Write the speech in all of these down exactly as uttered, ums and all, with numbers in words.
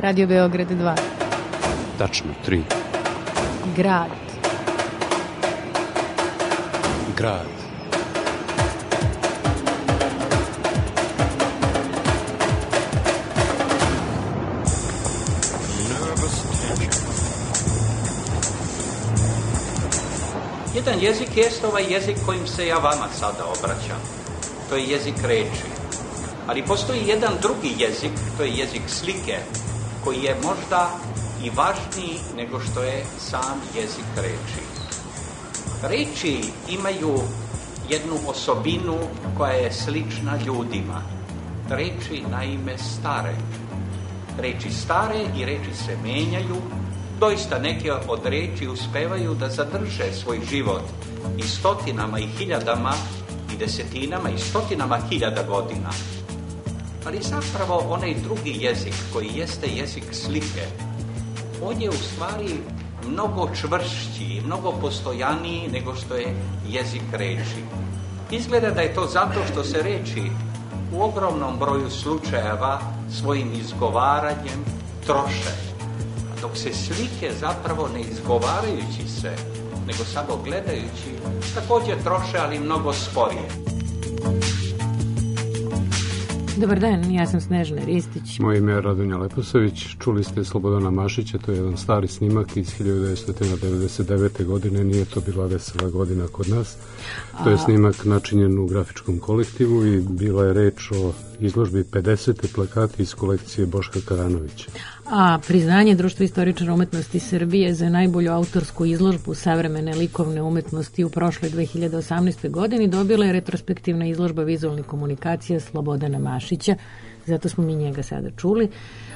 Radio Beograd dva. Tačno, tri. Grad. Grad. Jedan jezik jest ovaj jezik kojim se ja vama sada obraćam. To je jezik reči. Ali postoji jedan drugi jezik, to je jezik slike, koji je možda i važniji nego što je sam jezik reči. Reči imaju jednu osobinu koja je slična ljudima. Reči naime stare. Reči stare i reči se menjaju. Doista neke od reči uspevaju da zadrže svoj život i stotinama i hiljadama i desetinama i stotinama hiljada godina. Ali zapravo onaj drugi jezik koji jeste jezik slike, on je u stvari mnogo čvršći i mnogo postojaniji nego što je jezik reči. Izgleda da je to zato što se reči u ogromnom broju slučajeva svojim izgovaranjem troše, dok se slike zapravo ne izgovarajući se, nego samo gledajući, također troše, ali mnogo sporije. Dobar dan, ja sam Snežana Ristić. Moje ime je Radonja Leposavić. Čuli ste Slobodana Mašića, to je jedan stari snimak iz hiljadu devetsto devedeset devete. godine, nije to bila vesela godina kod nas. To je snimak načinjen u grafičkom kolektivu i bila je reč o izložbi pedeset plakati iz kolekcije Boška Karanovića. A priznanje Društva istoričara umetnosti Srbije za najbolju autorsku izložbu savremene likovne umetnosti u prošloj dve hiljade osamnaestoj. godini dobila je retrospektivna izložba vizualnih komunikacija Slobodana Mašića, zato smo mi njega sada čuli,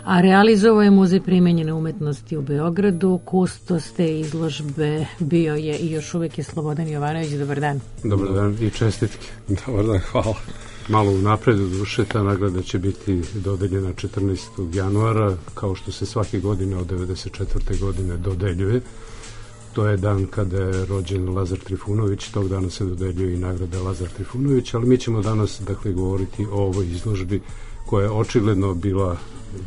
a realizovao je Muzej primenjene umetnosti u Beogradu. Kustos te izložbe bio je i još uvek je Slobodan Jovanović. Dobar dan. Dobar dan i čestitke. Dobar dan, hvala. Malo u napredu duše, ta nagrada će biti dodeljena četrnaestog januara, kao što se svake godine od devedeset četvrte. godine dodeljuje. To je dan kada je rođen Lazar Trifunović, tog dana se dodeljuje i nagrada Lazar Trifunović, ali mi ćemo danas, dakle, govoriti o ovoj izložbi koja je očigledno bila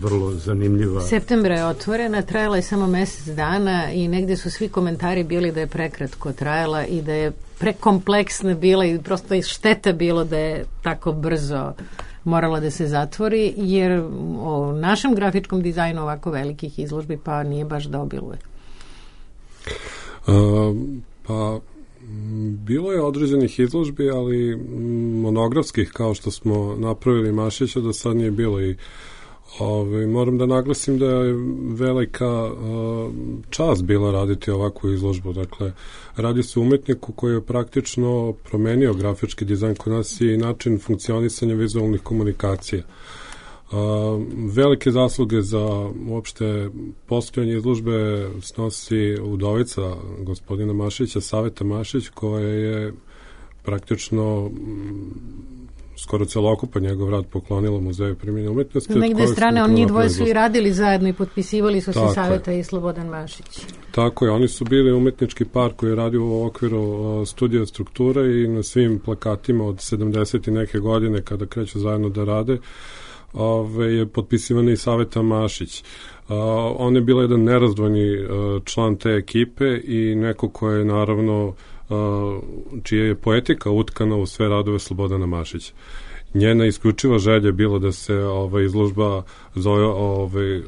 vrlo zanimljiva. Septembra je otvorena, trajala je samo mesec dana i negde su svi komentari bili da je prekratko trajala i da je prekompleksna bila i prosto šteta bilo da je tako brzo morala da se zatvori, jer o našem grafičkom dizajnu ovako velikih izložbi pa nije baš da obiluje. Uh, pa bilo je određenih izložbi, ali monografskih, kao što smo napravili Mašića, do sad nije bilo. I Ove, moram da naglasim da je velika uh, čast bila raditi ovakvu izložbu. Dakle, radi se o umetniku koji je praktično promenio grafički dizajn kod nas i način funkcionisanja vizualnih komunikacija. Uh, velike zasluge za uopšte postojanje izložbe snosi udovica gospodina Mašića, Saveta Mašić, koja je praktično skoro celokupan njegov rad poklonila Muzeju primenjene umetnosti. Na negde strane, on njih dvoje su i radili zajedno i potpisivali su se Saveta i Slobodan Mašić. Tako je, oni su bili umetnički par koji je radio u okviru uh, studija strukture i na svim plakatima od sedamdeset i neke godine kada kreću zajedno da rade ove, je potpisivana i Saveta Mašić. Uh, on je bila jedan nerazdvojni uh, član te ekipe i neko ko je naravno Uh, čija je poetika utkana u sve radove Slobodana Mašića. Njena isključiva želja je bilo da se ova izložba zove ovaj,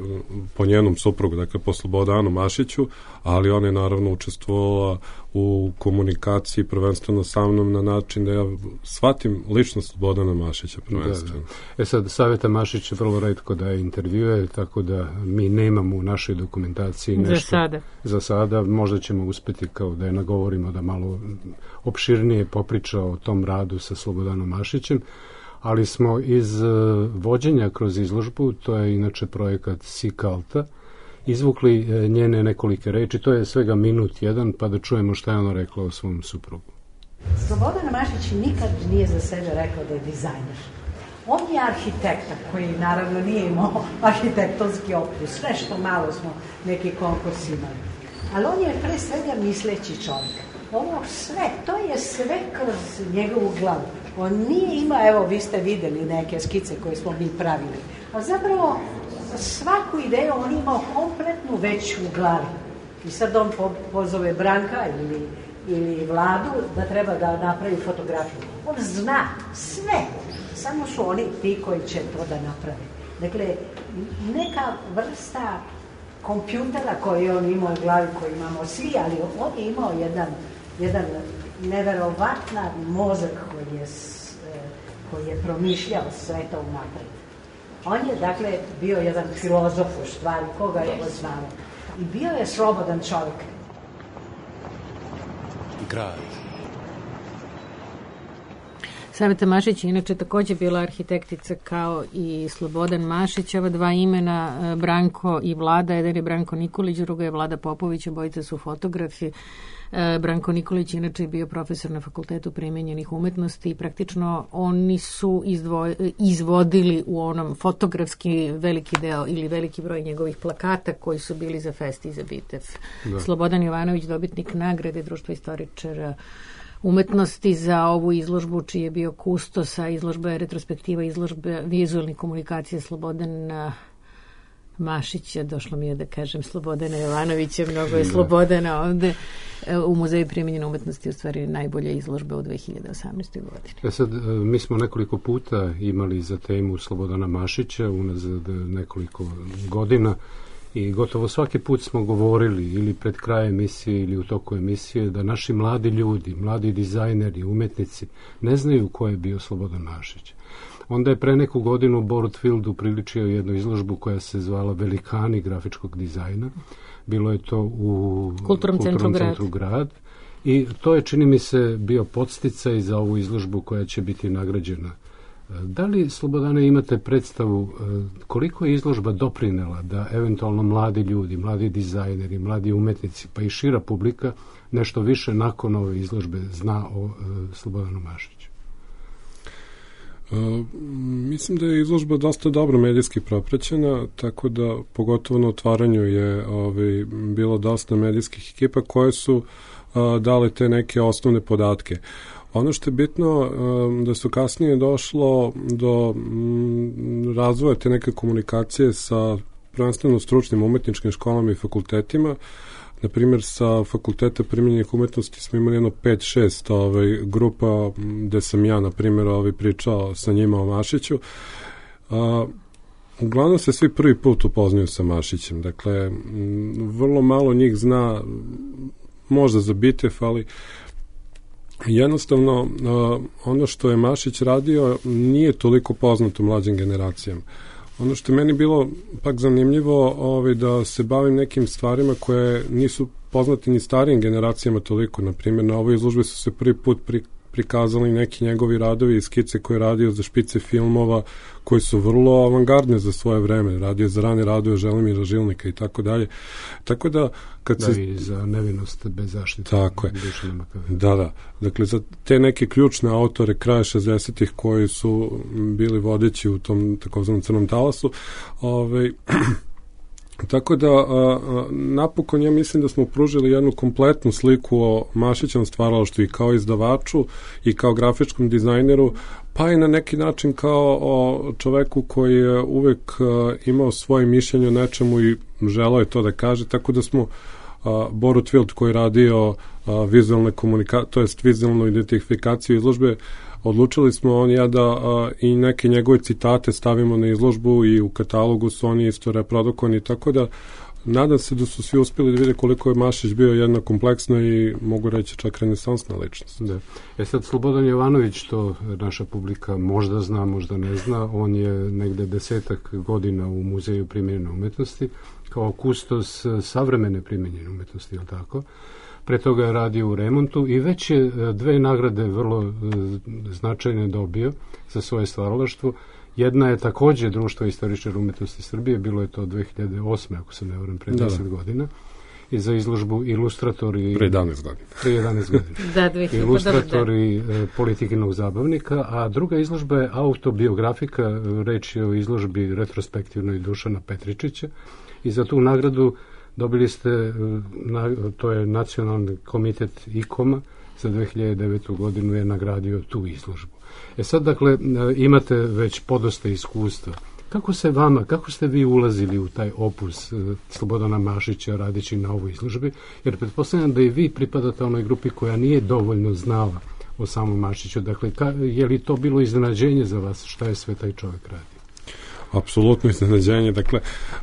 po njenom suprugu, dakle po Slobodanu Mašiću, ali ona je naravno učestvovala u komunikaciji prvenstveno sa mnom na način da ja shvatim ličnost Slobodana Mašića prvenstveno. Da, da. E sad, Saveta Mašić vrlo retko da je intervjuje, tako da mi nemamo u našoj dokumentaciji nešto. Za sada. Za sada, možda ćemo uspeti kao da je nagovorimo da malo opširnije popriča o tom radu sa Slobodanom Mašićem, ali smo iz uh, vođenja kroz izložbu, to je inače projekat Sikalta, izvukli uh, njene nekolike reči, to je svega minut jedan, pa da čujemo šta je ona rekla o svom suprugu. Slobodan Mašić nikad nije za sebe rekao da je dizajner. On je arhitekta koji naravno nije imao arhitektonski opus, nešto malo smo neki konkurs imali. Ali on je pre svega misleći čovjek. Ovo sve, to je sve kroz njegovu glavu. On nije imao, evo vi ste videli neke skice koje smo mi pravili, a zapravo svaku ideju on imao kompletnu već u glavi. I sad on po, pozove Branka ili, ili Vladu da treba da napravi fotografiju. On zna sve, samo su oni ti koji će to da naprave. Dakle, neka vrsta kompjutera koji on imao u glavi, koji imamo svi, ali on je imao jedan, jedan neverovatan mozak koji je, koji je promišljao sve to unapred. On je, dakle, bio jedan filozof u stvari, koga je poznao. I bio je slobodan čovjek. Grad. Saveta Mašić je inače također bila arhitektica kao i Slobodan Mašić. Ova dva imena, Branko i Vlada, jedan je Branko Nikolić, druga je Vlada Popović, obojica su fotografi. Branko Nikolić inače je bio profesor na Fakultetu primenjenih umetnosti i praktično oni su izdvoj, izvodili u onom fotografski veliki deo ili veliki broj njegovih plakata koji su bili za Fest i za Bitev. Da. Slobodan Jovanović, dobitnik nagrade Društva istoričara umetnosti za ovu izložbu, čiji je bio kustosa, izložba je retrospektiva, izložba vizualne komunikacije Slobodana Mašića, došlo mi je da kažem Slobodana Jovanovića, mnogo je da. Slobodana ovde. U Muzeju primenjene umetnosti u stvari najbolja izložba u dve hiljade osamnaestoj godini. Ja sad, mi smo nekoliko puta imali za temu Slobodana Mašića unazad nekoliko godina i gotovo svaki put smo govorili ili pred kraj emisije ili u toku emisije da naši mladi ljudi, mladi dizajneri, umetnici ne znaju ko je bio Slobodan Mašić. Onda je pre neku godinu Borut Field upriličio jednu izložbu koja se zvala Velikani grafičkog dizajna. Bilo je to u Kulturnom centru, centru grad. grad i to je, čini mi se, bio podsticaj za ovu izložbu koja će biti nagrađena. Da li, Slobodane, imate predstavu koliko je izložba doprinela da eventualno mladi ljudi, mladi dizajneri, mladi umetnici, pa i šira publika nešto više nakon ove izložbe zna o Slobodanu Mašiću? Uh, mislim da je izložba dosta dobro medijski propraćena, tako da pogotovo na otvaranju je ovaj, bilo dosta medijskih ekipa koje su uh, dale te neke osnovne podatke. Ono što je bitno um, da su kasnije došlo do um, razvoja te neke komunikacije sa prvenstveno stručnim umetničkim školama i fakultetima. Na primjer, sa Fakulteta primenjenih umetnosti smo imali jedno pet šest ovaj, grupa gde sam ja, na primjer, ovaj, pričao sa njima o Mašiću. A, uglavnom se svi prvi put upoznaju sa Mašićem. Dakle, m, vrlo malo njih zna, možda za Bitev, ali jednostavno a, ono što je Mašić radio nije toliko poznato mlađim generacijama. Ono što je meni bilo pak zanimljivo ovaj, da se bavim nekim stvarima koje nisu poznate ni starijim generacijama toliko. Naprimjer, na ovoj izložbi su se prvi put pri, prikazali neki njegovi radovi i skice koje je radio za špice filmova koji su vrlo avangardne za svoje vreme. Radio za rane radove Želimira Žilnika i tako dalje. Tako da, kad da, se... i za nevinost bez zaštite. Tako je. Da, da. Dakle, za te neke ključne autore kraja šezdesetih koji su bili vodeći u tom takozvanom crnom talasu, ovaj... Tako da, a, a, napokon ja mislim da smo pružili jednu kompletnu sliku o Mašićevom stvaralaštvu i kao izdavaču i kao grafičkom dizajneru, pa i na neki način kao o čoveku koji je uvek a, imao svoje mišljenje o nečemu i želeo je to da kaže, tako da smo a, Borut Field koji je radio a, vizualne komunikacije, to jest vizualnu identifikaciju izložbe, odlučili smo on ja da a, i neke njegove citate stavimo na izložbu i u katalogu su oni isto reprodukovani, tako da nadam se da su svi uspjeli da vide koliko je Mašić bio jedna kompleksna i mogu reći čak renesansna ličnost. Da. E sad, Slobodan Jovanović, to naša publika možda zna, možda ne zna, on je negde desetak godina u Muzeju primenjene umetnosti kao kustos savremene primenjene umetnosti, je li tako? Pre toga je radio u remontu i već je dve nagrade vrlo značajne dobio za svoje stvaralaštvo. Jedna je takođe Društvo istoričara umetnosti Srbije, bilo je to dve hiljade osme, ako se ne varam, pre deset da, da. godina, i za izložbu Ilustratori... Pre jedanaest godina. Pre jedanaest godina. Da, dve hiljade Ilustratori da. Politikinog zabavnika, a druga izložba je autobiografika, reč je o izložbi retrospektivnoj Dušana Petričića, i za tu nagradu dobili ste, to je Nacionalni komitet I K O M-a, za dve hiljade devetu godinu je nagradio tu izložbu. E sad, dakle, imate već podosta iskustva. kako se vama, kako ste vi ulazili u taj opus Slobodana Mašića radeći na ovoj izložbi? Jer pretpostavljam da i vi pripadate onoj grupi koja nije dovoljno znala o samom Mašiću. Dakle, ka, je li to bilo iznenađenje za vas šta je sve taj čovjek radi? Apsolutno iznenađenje. Dakle,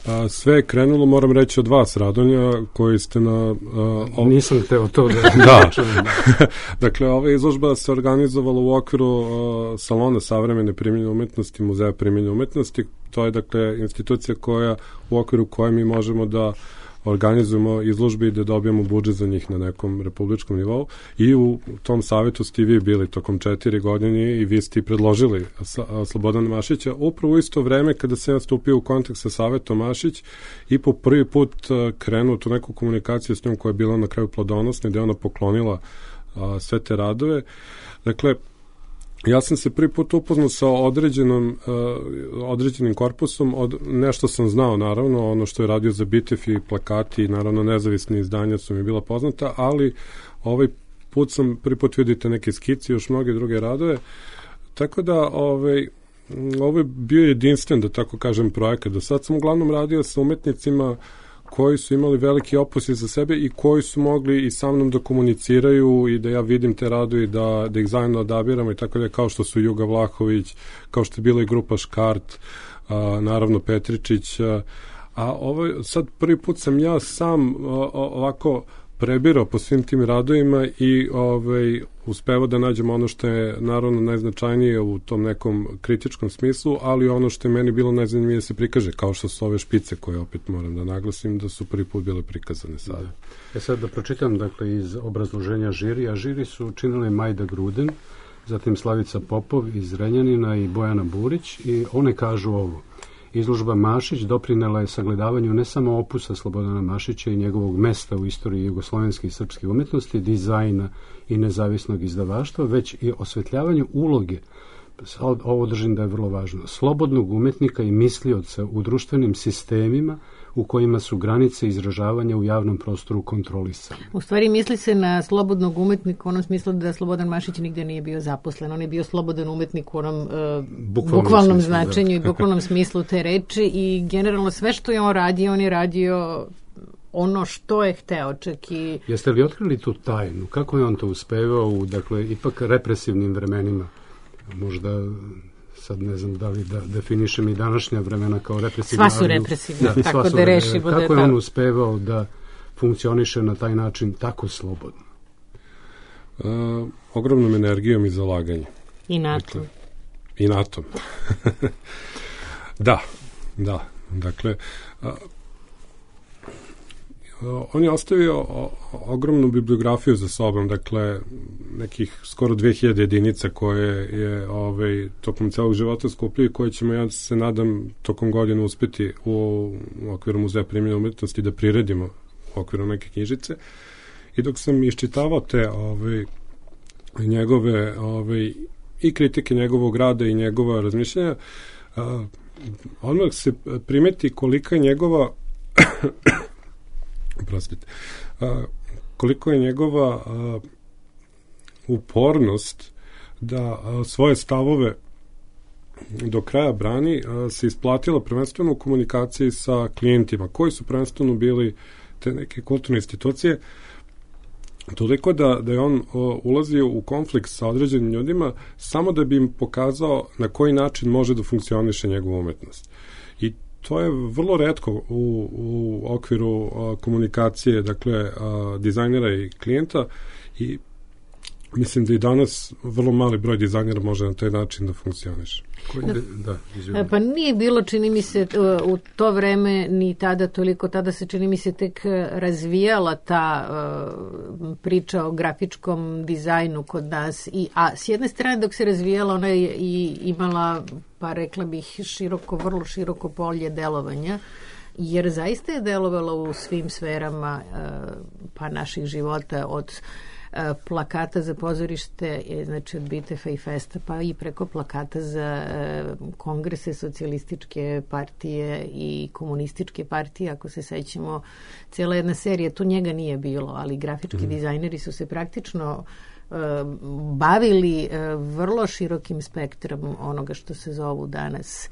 a, sve je krenulo, moram reći, od vas, Radonja, koji ste na... A, ov... Nisam teo to da... da. Dakle, ova izložba se organizovala u okviru a, Salona savremene primjenjene umetnosti, Muzeja primjenjene umetnosti. To je, dakle, institucija koja, u okviru koje mi možemo da organizujemo izložbe i da dobijemo budžet za njih na nekom republičkom nivou. I u tom savjetu ste vi bili tokom četiri godine i vi ste i predložili Slobodana Mašića upravo u isto vreme kada se ja stupio u kontakt sa savjetom Mašić i po prvi put krenuo tu neku komunikaciju s njom koja je bila na kraju plodonosna, gde ona poklonila a, sve te radove. Dakle, ja sam se prvi put upoznao sa određenom, uh, određenim korpusom, od, nešto sam znao naravno, ono što je radio za Bitef i plakati i naravno nezavisni izdanja su mi bila poznata, ali ovaj put sam prvi put vidite neke skici, još mnoge druge radove, tako da ovaj, ovo je bio jedinstven, da tako kažem, projekat. Do sad sam uglavnom radio sa umetnicima koji su imali veliki opus za sebe i koji su mogli i sa mnom da komuniciraju i da ja vidim te radove i da, da ih zajedno odabiramo i tako da, kao što su Juga Vlahović, kao što je bila i grupa Škart, a, naravno Petričić, a, a ovo, sad prvi put sam ja sam a, ovako prebirao po svim tim radovima i ovaj, uspevao da nađem ono što je naravno najznačajnije u tom nekom kritičkom smislu, ali ono što je meni bilo najzanimljivije da se prikaže, kao što su ove špice koje opet moram da naglasim da su prvi put bile prikazane sada. Da. E sad da pročitam dakle iz obrazloženja žirija. Žiri su učinile Majda Gruden, zatim Slavica Popov iz Renjanina i Bojana Burić i one kažu ovo. Izložba Mašić doprinela je sagledavanju ne samo opusa Slobodana Mašića i njegovog mesta u istoriji jugoslovenske i srpske umetnosti, dizajna i nezavisnog izdavaštva, već i osvetljavanju uloge, ovo držim da je vrlo važno, slobodnog umetnika i mislioca u društvenim sistemima u kojima su granice izražavanja u javnom prostoru kontrolisane. U stvari misli se na slobodnog umetnika u onom smislu da Slobodan Mašić nigde nije bio zaposlen. On je bio slobodan umetnik u onom uh, bukvalnom, bukvalnom smislu, značenju da. I bukvalnom smislu te reči i generalno sve što je on radio, on je radio ono što je hteo, čak i... Jeste li otkrili tu tajnu? Kako je on to uspevao u, dakle, ipak represivnim vremenima? Možda... sad ne znam da li da definišem i današnja vremena kao represivna. Sva su represivna, da, tako da rešimo da je kako je on uspevao da funkcioniše na taj način tako slobodno? Uh, ogromnom energijom i zalaganjem. I NATO. Dakle, I NATO. da, da. Dakle, uh, on je ostavio o, ogromnu bibliografiju za sobom, dakle nekih skoro dve hiljade jedinica koje je ovaj, tokom celog života skupio i koje ćemo, ja se nadam, tokom godina uspeti u, u okviru Muzeja primjenjene umetnosti da priredimo u okviru neke knjižice. I dok sam iščitavao te ovaj, njegove ovaj, i kritike njegovog rada i njegova razmišljanja, a, odmah se primeti kolika je njegova Prostite. A, koliko je njegova a, upornost da a, svoje stavove do kraja brani a, se isplatila prvenstveno u komunikaciji sa klijentima, koji su prvenstveno bili te neke kulturne institucije, toliko da, da je on o, ulazio u konflikt sa određenim ljudima samo da bi im pokazao na koji način može da funkcioniše njegova umetnost. I to je vrlo retko u, u okviru a, komunikacije, dakle, a, dizajnera i klijenta i mislim da i danas vrlo mali broj dizajnera može na taj način da funkcioniše. Da, da, pa nije bilo, čini mi se, u to vreme ni tada toliko, tada se čini mi se tek razvijala ta uh, priča o grafičkom dizajnu kod nas, I, a s jedne strane dok se razvijala ona je i imala, pa rekla bih, široko, vrlo široko polje delovanja, jer zaista je delovala u svim sferama uh, pa naših života, od plakata za pozorište, znači od Bitefa i Festa, pa i preko plakata za kongrese socijalističke partije i komunističke partije, ako se sećamo, cijela jedna serija, to njega nije bilo, ali grafički mm. dizajneri su se praktično bavili vrlo širokim spektrom onoga što se zovu danas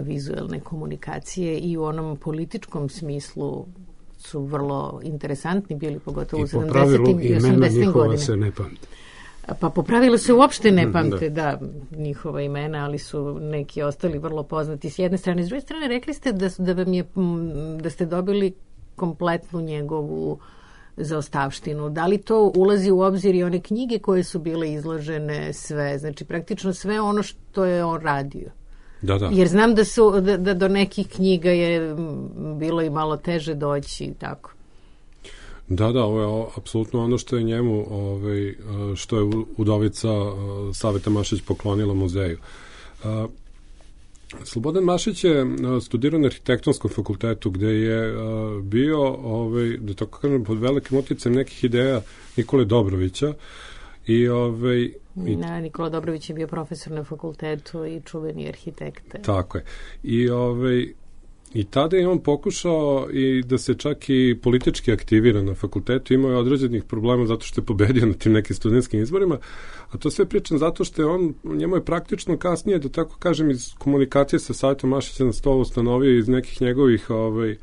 vizuelne komunikacije i u onom političkom smislu su vrlo interesantni bili, pogotovo u sedamdesetim i osamdesetim godinama. Se ne pamte. Pa po pravilu se uopšte ne pamte, da, njihova imena, ali su neki ostali vrlo poznati s jedne strane. S druge strane, rekli ste da, da, vam je, da ste dobili kompletnu njegovu zaostavštinu. Da li to ulazi u obzir i one knjige koje su bile izložene sve? Znači, praktično sve ono što je on radio. Da, da. Jer znam da, su, da, da do nekih knjiga je bilo i malo teže doći i tako. Da, da, ovo je apsolutno ono što je njemu, ovaj, što je udovica Saveta Mašić poklonila muzeju. Slobodan Mašić je studirao na arhitektonskom fakultetu gde je bio, ovaj, da tako kažem, pod velikim uticajem nekih ideja Nikole Dobrovića. I, ovaj, i, na, Nikola Dobrović je bio profesor na fakultetu i čuveni arhitekta. Tako je. I, ovaj, I tada je on pokušao i da se čak i politički aktivira na fakultetu, imao je određenih problema zato što je pobedio na tim nekim studentskim izborima, a to sve pričam zato što je on, njemu je praktično kasnije, da tako kažem, iz komunikacije sa Savetom Mašića na stolu ustanovio iz nekih njegovih ovaj,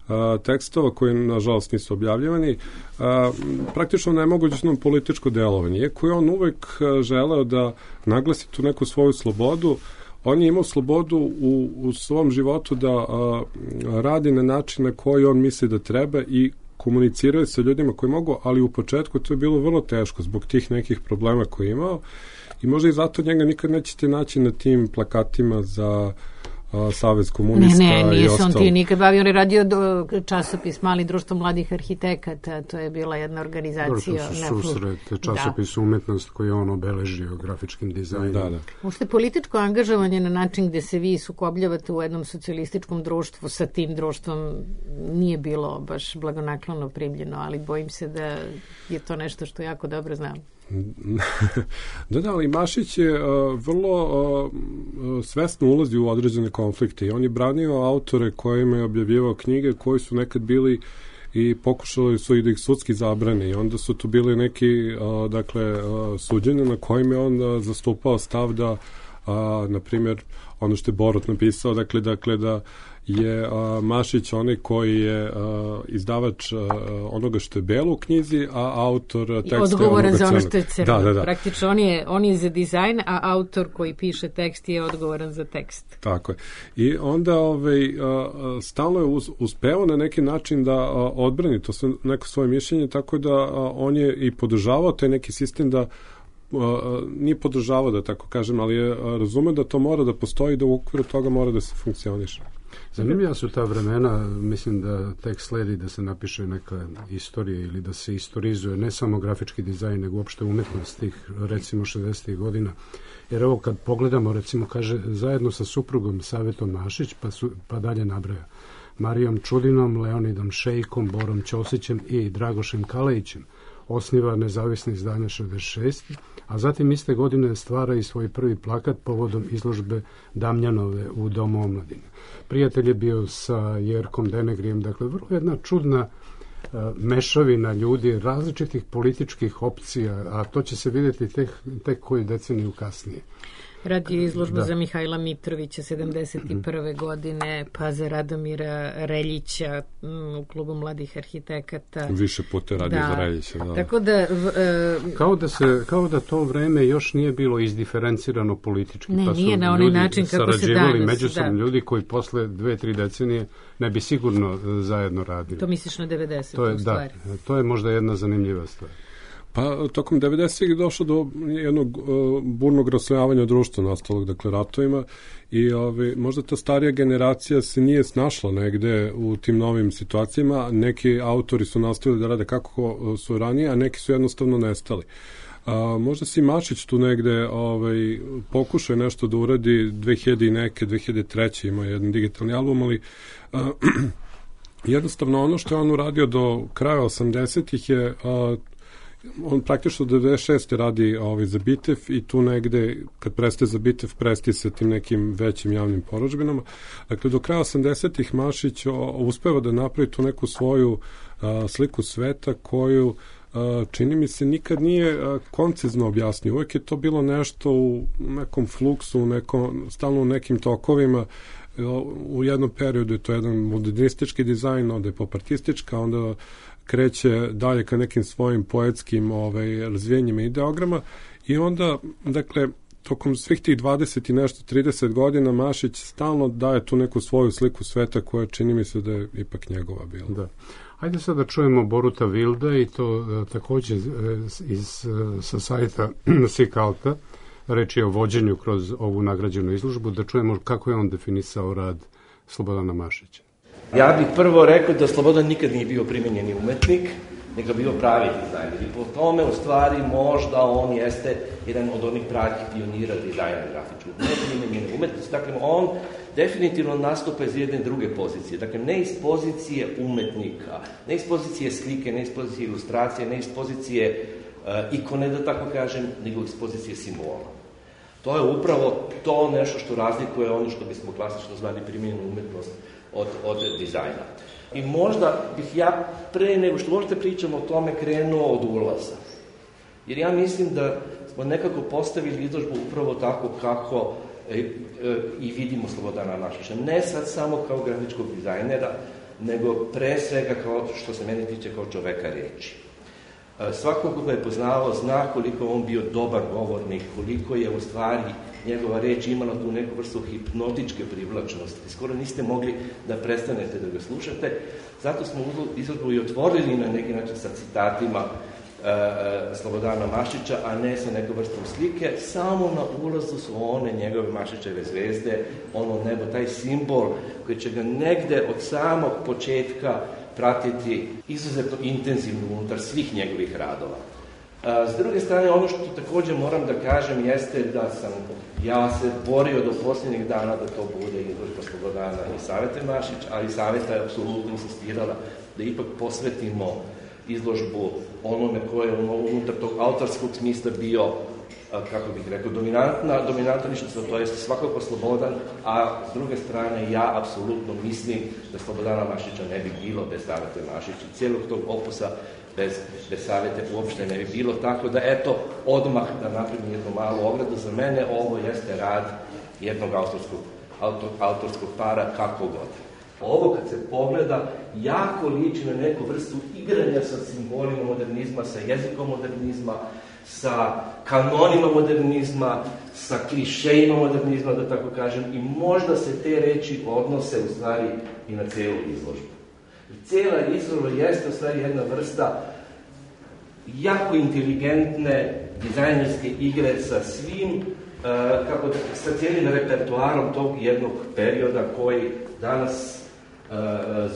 a, tekstova koji nažalost nisu objavljivani, a, praktično nemogućno političko delovanje. Iako je on uvek želeo da naglasi tu neku svoju slobodu, on je imao slobodu u, u svom životu da a, radi na način na koji on misli da treba i komuniciraju sa ljudima koji mogu, ali u početku to je bilo vrlo teško zbog tih nekih problema koje je imao i možda i zato njega nikad nećete naći na tim plakatima za a, Savez komunista i ostalo. Ne, ne, nije se on ti nikad bavio, on je radio do časopis Mali društvo mladih arhitekata, to je bila jedna organizacija. To su susret, časopis da. Umetnost koji je on obeležio grafičkim dizajnom. Da, da. Ušte političko angažovanje na način gde se vi sukobljavate u jednom socijalističkom društvu sa tim društvom nije bilo baš blagonaklono primljeno, ali bojim se da je to nešto što jako dobro znam. Da, da, ali Mašić je uh, vrlo uh, svesno ulazi u određene konflikte i on je branio autore kojima je objavljivao knjige koji su nekad bili i pokušali su i da ih sudski zabrane i onda su tu bili neki uh, dakle, uh, suđenja na kojim je on uh, zastupao stav da uh, na primjer ono što je Borut napisao, dakle, dakle da je a, Mašić onaj koji je a, izdavač a, onoga što je belo u knjizi, a autor teksta je odgovoran za ono što je crno. Da, da, da. Praktično on je, on je za dizajn, a autor koji piše tekst je odgovoran za tekst. Tako je. I onda ovaj, a, stalno je uz, uspeo na neki način da a, odbrani to sve, neko svoje mišljenje, tako da a, on je i podržavao taj neki sistem da Uh, nije podržavao, da tako kažem, ali je uh, razume da to mora da postoji, da u okviru toga mora da se funkcioniše. Zanimljiva su ta vremena, mislim da tek sledi da se napiše neka istorija ili da se istorizuje ne samo grafički dizajn, nego uopšte umetnost tih, recimo, šezdesetih godina. Jer evo kad pogledamo, recimo, kaže, zajedno sa suprugom Savetom Mašić, pa, su, pa dalje nabraja, Marijom Čudinom, Leonidom Šejkom, Borom Ćosićem i Dragošem Kalejićem, osniva nezavisno izdanje šezdeset šest, a zatim iste godine stvara i svoj prvi plakat povodom izložbe Damjanove u Domu omladine. Prijatelj je bio sa Jerkom Denegrijem, dakle vrlo jedna čudna uh, mešavina ljudi različitih političkih opcija, a to će se vidjeti tek, tek koju deceniju kasnije. Radio izložbu da. za Mihajla Mitrovića sedamdeset prve godine, pa za Radomira Reljića m, u klubu mladih arhitekata. Više puta radio da. za Reljića. Da. Tako da, v, e, kao da se kao da to vreme još nije bilo izdiferencirano politički. Ne, pa su nije na onaj način kako se danas. Međusobno da. ljudi koji posle dve, tri decenije ne bi sigurno zajedno radili. To misliš na devedeset to je, u stvari. Da, to je možda jedna zanimljiva stvar. Pa tokom devedesetih je došlo do jednog uh, burnog raslojavanja društva nastalog, dakle, ratovima i ove, možda ta starija generacija se nije snašla negde u tim novim situacijama. Neki autori su nastavili da rade kako su ranije, a neki su jednostavno nestali. A, možda si Mašić tu negde ovaj, pokušao nešto da uradi dve hiljade i neke, dve hiljade treće ima jedan digitalni album, ali a, jednostavno ono što je on uradio do kraja osamdesetih je a, on praktično do devedeset šeste radi ovaj, za Bitev i tu negde, kad prestaje za Bitev, prestaje sa tim nekim većim javnim porudžbinama. Dakle, do kraja osamdesetih Mašić o, uspeva da napravi tu neku svoju a, sliku sveta koju čini mi se nikad nije koncizno objasnio. Uvijek je to bilo nešto u nekom fluksu, nekom, stalno u nekim tokovima. U jednom periodu je to jedan modernistički dizajn, onda je popartistička, onda kreće dalje ka nekim svojim poetskim ovaj, razvijenjima ideograma i onda, dakle, tokom svih tih dvadeset i nešto, trideset godina Mašić stalno daje tu neku svoju sliku sveta koja čini mi se da je ipak njegova bila. Da. Ajde sad da čujemo Boruta Vilda i to uh, takođe uh, iz, uh, sa sajta Sikalta, reč je o vođenju kroz ovu nagrađenu izložbu, da čujemo kako je on definisao rad Slobodana Mašića. Ja bih prvo rekao da Slobodan nikad nije bio primenjeni umetnik, nego bio pravi dizajner. I po tome, u stvari, možda on jeste jedan od onih pravih pionira dizajna grafičkog. Ne primenjene umetnosti. Dakle, on definitivno nastupa iz jedne druge pozicije. Dakle, ne iz pozicije umetnika, ne iz pozicije slike, ne iz pozicije ilustracije, ne iz pozicije uh, ikone, da tako kažem, nego iz pozicije simbola. To je upravo to nešto što razlikuje ono što bismo klasično zvali primenjenu umetnost od, od dizajna. I možda bih ja pre nego što možete pričamo o tome krenuo od ulaza. Jer ja mislim da smo nekako postavili izložbu upravo tako kako e, e, i vidimo Slobodana Mašića. Ne sad samo kao grafičkog dizajnera, nego pre svega kao što se meni tiče kao čoveka reči. E, svako ko ga je poznavao zna koliko on bio dobar govornik, koliko je u stvari njegova reč imala tu neku vrstu hipnotičke privlačnosti. Skoro niste mogli da prestanete da ga slušate. Zato smo izložbu i otvorili na neki način sa citatima e, Slobodana Mašića, a ne sa nekom vrstom slike. Samo na ulazu su one njegove Mašićeve zvezde, ono nebo, taj simbol koji će ga negde od samog početka pratiti izuzetno intenzivno unutar svih njegovih radova. S druge strane, ono što također moram da kažem jeste da sam ja se borio do posljednjih dana da to bude izložba Slobodana i Savete Mašić, ali Saveta je apsolutno insistirala da ipak posvetimo izložbu onome koje je unutar tog autorskog smisla bio, kako bih rekao, dominantna, dominantna ličnost, to je svakako Slobodan, a s druge strane ja apsolutno mislim da Slobodana Mašića ne bi bilo bez Savete Mašić i cijelog tog opusa bez, bez Savete uopšte ne bi bilo, tako da eto, odmah da napravim jednu malu ogradu, za mene ovo jeste rad jednog autorskog, autor, autorskog para, kako god. Ovo kad se pogleda, jako liči na neku vrstu igranja sa simbolima modernizma, sa jezikom modernizma, sa kanonima modernizma, sa klišejima modernizma, da tako kažem, i možda se te reči odnose u stvari i na celu izložbu. I cijela izložba jeste u stvari jedna vrsta jako inteligentne dizajnerske igre sa svim, uh, kako da, sa cijelim repertoarom tog jednog perioda koji danas Uh,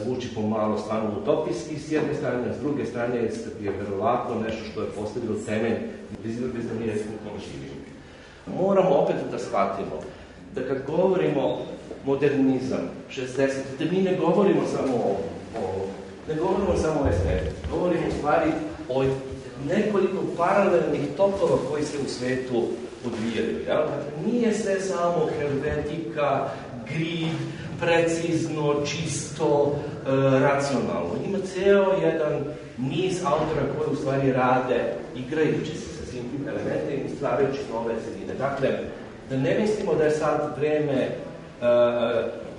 zvuči pomalo stvarno utopijski s jedne strane, a s druge strane je verovatno nešto što je postavilo temelj bez da mi jesmo živimo. Moramo opet da shvatimo da kad govorimo modernizam, šezdeset, da mi ne govorimo samo o, o ne govorimo samo o estetici, govorimo u stvari o nekoliko paralelnih tokova koji se u svetu odvijaju. Ja? Nije sve samo hermetika, grid, precizno, čisto, e, racionalno. Ima ceo jedan niz autora koji u stvari rade igrajući se sa svim tim elementima i stvarajući nove sredine. Dakle, da ne mislimo da je sad vreme e,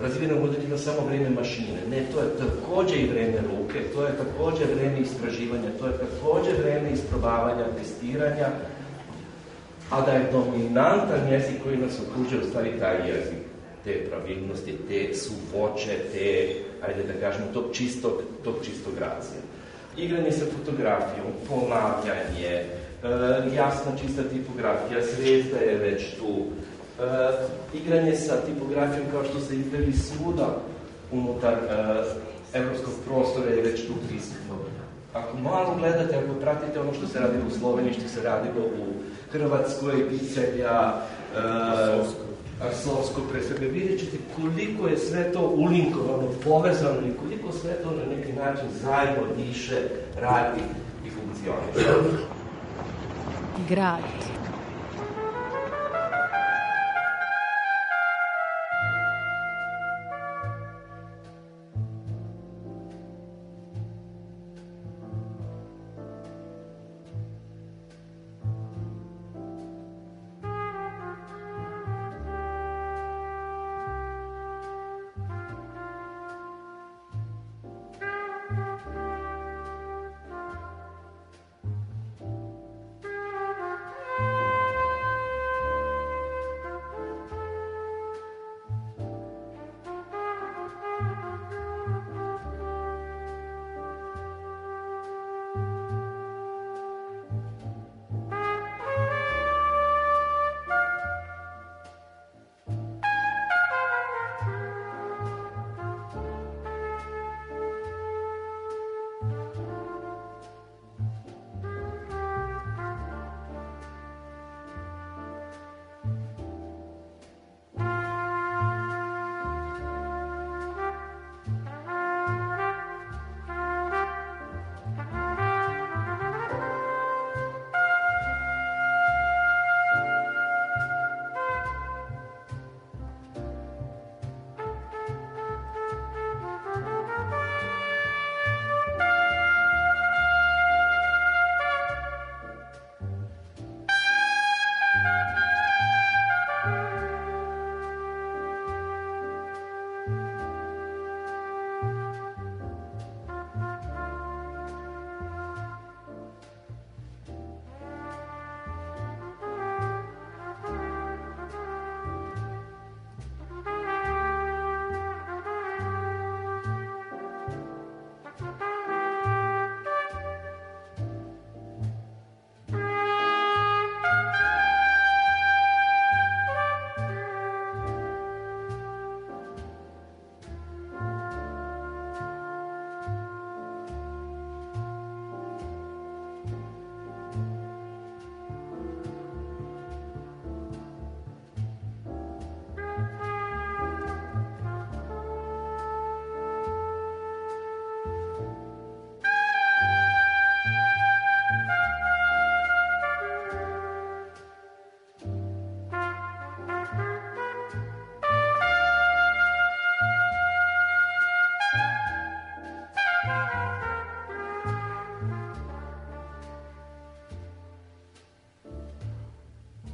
razvijenog modernizma samo vreme mašine. Ne, to je takođe i vreme ruke, to je takođe vreme istraživanja, to je takođe vreme isprobavanja, testiranja, a da je dominantan jezik koji nas okružuje u stvari taj jezik. Te pravilnosti, te suvoće, te, ajde da kažemo, tog čistog, tog čistog gracija. Igranje sa fotografijom, ponavljanje, e, jasna čista tipografija, zvezda je već tu. E, igranje sa tipografijom kao što se igrali svuda unutar e, evropskog prostora je već tu prisutno. Ako malo gledate, ako pratite ono što se radilo u Sloveniji, što se radilo u Hrvatskoj, Picelja, e, Arsovsko pre sebe, vidjet ćete koliko je sve to ulinkovano, povezano i koliko sve to na neki način zajedno diše, radi i funkcioniše. Grad.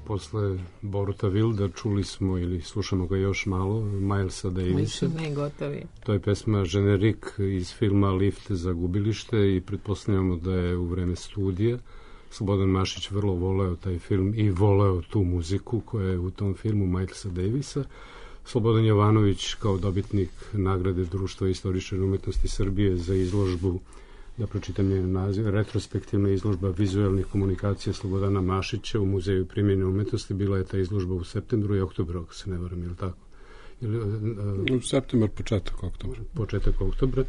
Posle Boruta Wilda čuli smo ili slušamo ga još malo, Milesa Davisa. Ne, gotovi. To je pesma Generik iz filma Lift za gubilište i pretpostavljamo da je u vreme studija Slobodan Mašić vrlo voleo taj film i voleo tu muziku koja je u tom filmu Milesa Davisa. Slobodan Jovanović kao dobitnik nagrade Društva istoričara umetnosti Srbije za izložbu, da pročitam njen naziv, retrospektivna izložba vizualnih komunikacija Slobodana Mašića u Muzeju primjene umetnosti. Bila je ta izložba u septembru i oktobru, ako se ne varam, ili tako? Ili, uh, u septembar, početak oktobra. Početak oktobra.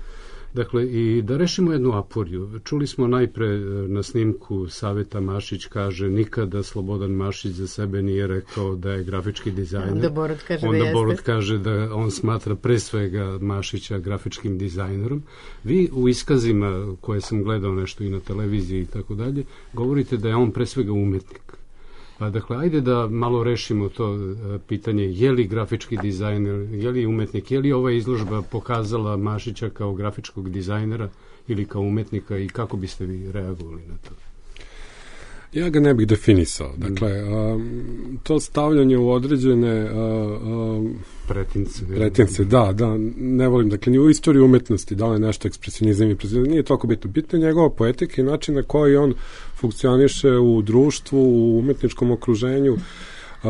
Dakle, i da rešimo jednu aporiju. Čuli smo najpre na snimku Saveta Mašić kaže nikada Slobodan Mašić za sebe nije rekao da je grafički dizajner. Onda Borut kaže Onda da jeste. Borut kaže da on smatra pre svega Mašića grafičkim dizajnerom. Vi u iskazima koje sam gledao nešto i na televiziji i tako dalje, govorite da je on pre svega umetnik. Pa dakle, ajde da malo rešimo to pitanje, je li grafički dizajner, je li umetnik, je li ova izložba pokazala Mašića kao grafičkog dizajnera ili kao umetnika i kako biste vi reagovali na to? Ja ga ne bih definisao. Dakle, a, to stavljanje u određene a, a, pretince. Pretince, da, da, ne volim. Dakle, ni u istoriji umetnosti, da li je nešto ekspresionizam i impresionizam, nije toliko bitno. Bitno je njegova poetika i način na koji on funkcioniše u društvu, u umetničkom okruženju. Uh,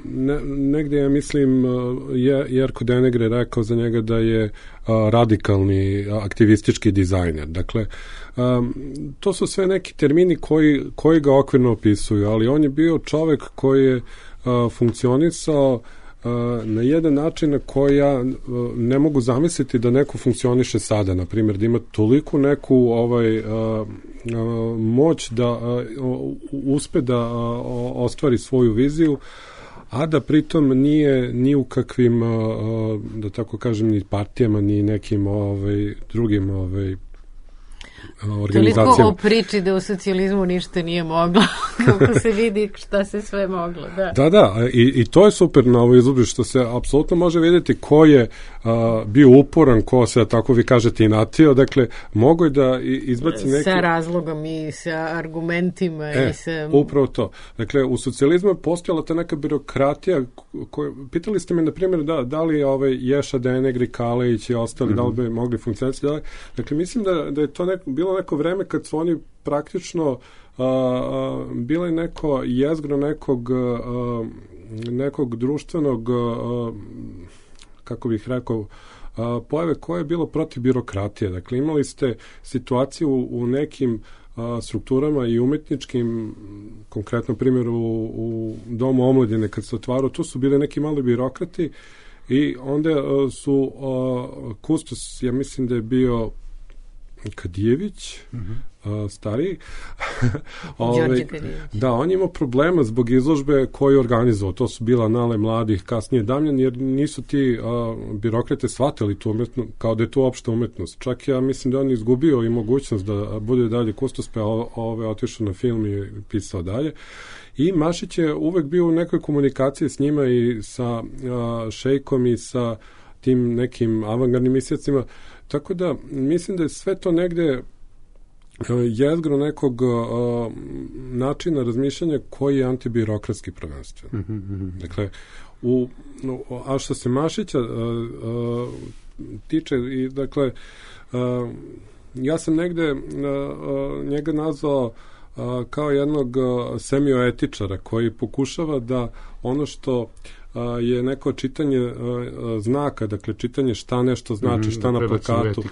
ne, negde ja mislim uh, je, Jerko Denegre rekao za njega da je uh, radikalni uh, aktivistički dizajner. Dakle, um, to su sve neki termini koji, koji ga okvirno opisuju, ali on je bio čovek koji je uh, funkcionisao na jedan način na koji ja ne mogu zamisliti da neko funkcioniše sada, na primjer, da ima toliko neku ovaj, a, a, moć da a, uspe da a, ostvari svoju viziju, a da pritom nije ni u kakvim, a, da tako kažem, ni partijama, ni nekim ovaj, drugim ovaj, organizacijama. Toliko o priči da u socijalizmu ništa nije moglo, kako se vidi šta se sve moglo. Da, da, da i, i to je super na ovoj izložbi, što se apsolutno može vidjeti ko je a, bio uporan, ko se, tako vi kažete, inatio, dakle, mogo je da izbaci neki... Sa razlogom i sa argumentima e, i sa... upravo to. Dakle, u socijalizmu je postojala ta neka birokratija, koja, pitali ste me, na primjer, da, da li ovaj Ješa Denegri, Kalejić i ostali, mm-hmm. da li bi mogli funkcionirati, da li, dakle, mislim da, da je to neko, bilo neko vreme kad su oni praktično uh, uh, bile neko jezgro nekog uh, nekog društvenog uh, kako bih rekao uh, pojave koje je bilo protiv birokratije. Dakle, imali ste situaciju u, u nekim uh, strukturama i umetničkim, konkretno primjer u, u Domu omladine kad se otvarao, tu su bile neki mali birokrati i onda uh, su uh, kustos, ja mislim da je bio Kadijević, mm-hmm. uh, stariji. Ove, da, on imao problema zbog izložbe koju je organizovao. To su bila Anale mladih, kasnije Damljan, jer nisu ti uh, birokrate shvatili tu umetnost, kao da je to opšta umetnost. Čak ja mislim da on izgubio i mogućnost da bude dalje kustos, pa ove otišao na film i pisao dalje. I Mašić je uvek bio u nekoj komunikaciji s njima i sa uh, Šejkom i sa tim nekim avangardnim misliyacima. Tako da, mislim da je sve to negde jezgro nekog uh, načina razmišljanja koji je antibirokratski prvenstveno. Mm-hmm. Dakle, u, a što se Mašića uh, uh, tiče, i dakle, uh, ja sam negde uh, uh, njega nazvao uh, kao jednog uh, semioetičara koji pokušava da ono što je neko čitanje uh, znaka, dakle čitanje šta nešto znači, šta na plakatu.